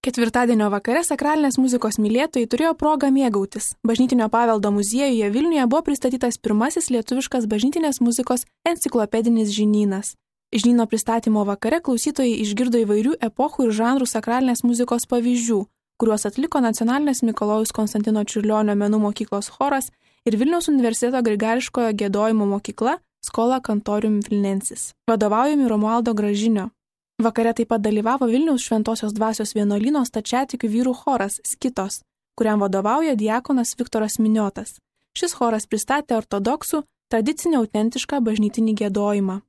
Ketvirtadienio vakare sakralinės muzikos mylėtojai turėjo progą mėgautis. Bažnytinio paveldo muziejuje Vilniuje buvo pristatytas pirmasis lietuviškas bažnytinės muzikos enciklopedinis žinynas. Žinyno pristatymo vakare klausytojai išgirdo įvairių epochų ir žanrų sakralinės muzikos pavyzdžių, kuriuos atliko Nacionalinės Mikalojaus Konstantino Čiurlionio menų mokyklos choras ir Vilniaus universiteto grigališkojo giedojimo mokykla Schola Cantorium Vilnensis, vadovaujami Romualdo Gražinio. Vakare taip pat dalyvavo Vilniaus Šventosios dvasios vienuolyno stačiatikių vyrų choras Skitos, kuriam vadovauja diakonas Viktoras Miniotas. Šis choras pristatė ortodoksų, tradicinį autentišką bažnytinį giedojimą.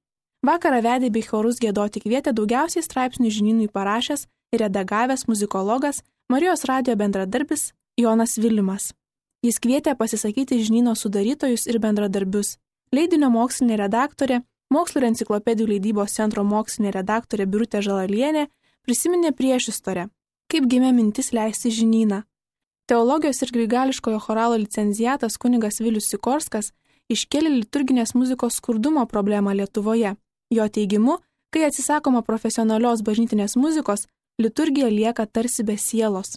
Vakarą vedė bei chorus giedoti kvietė daugiausiai straipsnių žinynui parašęs ir redagavęs muzikologas Marijos radijo bendradarbis Jonas Vilimas. Jis kvietė pasisakyti žinyno sudarytojus ir bendradarbius. Leidinio mokslinė redaktorė, Mokslo ir enciklopedijų leidybos centro mokslinė redaktorė Birutė Žalalienė prisiminė priešistorę, kaip gimė mintis leisti žinyną. Teologijos ir grigališkojo choralo licenciatas kunigas Vilius Sikorskas iškėlė liturginės muzikos skurdumo problemą Lietuvoje. Jo teigimu, kai atsisakoma profesionalios bažnytinės muzikos, liturgija lieka tarsi be sielos.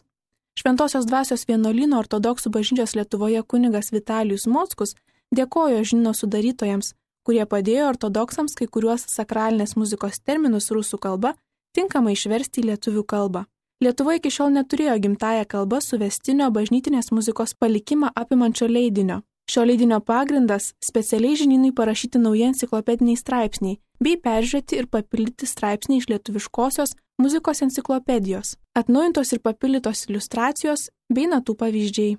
Šventosios dvasios vienuolyno ortodoksų bažnyčios Lietuvoje kunigas Vitalijus Mockus dėkojo žinyno sudarytojams, kurie padėjo ortodoksams kai kuriuos sakralinės muzikos terminus rusų kalba tinkamai išversti į lietuvių kalbą. Lietuva iki šiol neturėjo gimtąją kalbą suvestinio bažnytinės muzikos palikimą apimančio leidinio. Šio leidinio pagrindas specialiai žinynui parašyti nauji enciklopediniai straipsniai, bei peržiūrėti ir papildyti straipsniai iš lietuviškosios muzikos enciklopedijos, atnaujintos ir papildytos iliustracijos bei natų pavyzdžiai.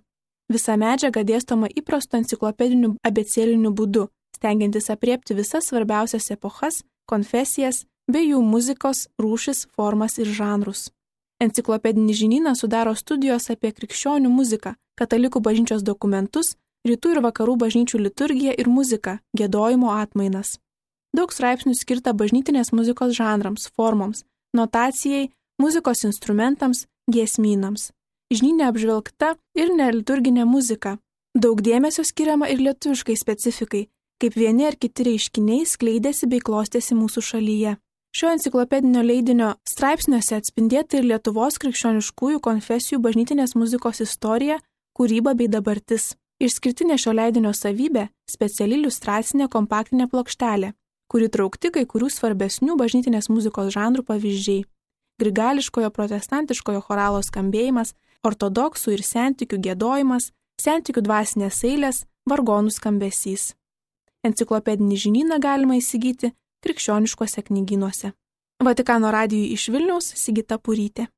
Visa medžiaga dėstoma įprastu enciklopediniu abėcėliniu būdu, stengiantis apriepti visas svarbiausias epochas, konfesijas bei jų muzikos rūšis, formas ir žanrus. Enciklopedinį žinyną sudaro studijos apie krikščionių muziką, katalikų bažnyčios dokumentus, rytų ir vakarų bažnyčių liturgiją ir muziką, giedojimo atmainas. Daug straipsnių skirta bažnytinės muzikos žanrams, formoms, notacijai, muzikos instrumentams, giesmynams. Žinyne apžvelgta ir neliturginė muzika. Daug dėmesio skiriama ir lietuviškai specifikai, kaip vieni ar kiti reiškiniai skleidėsi bei klostėsi mūsų šalyje. Šio enciklopedinio leidinio straipsniuose atspindėta ir Lietuvos krikščioniškųjų konfesijų bažnytinės muzikos istorija, kūryba bei dabartis. Išskirtinė šio leidinio savybė – speciali iliustracinė kompaktinė plokštelė, kuri traukti kai kurių svarbesnių bažnytinės muzikos žanrų pavyzdžiai. Grigališkojo protestantiškojo choralo skambėjimas, ortodoksų ir sentikių giedojimas, sentikių dvasinės eilės, vargonų skambesys. Enciklopedinį žinyną galima įsigyti krikščioniškuose knygynuose. Vatikano radijui iš Vilniaus Sigita Purytė.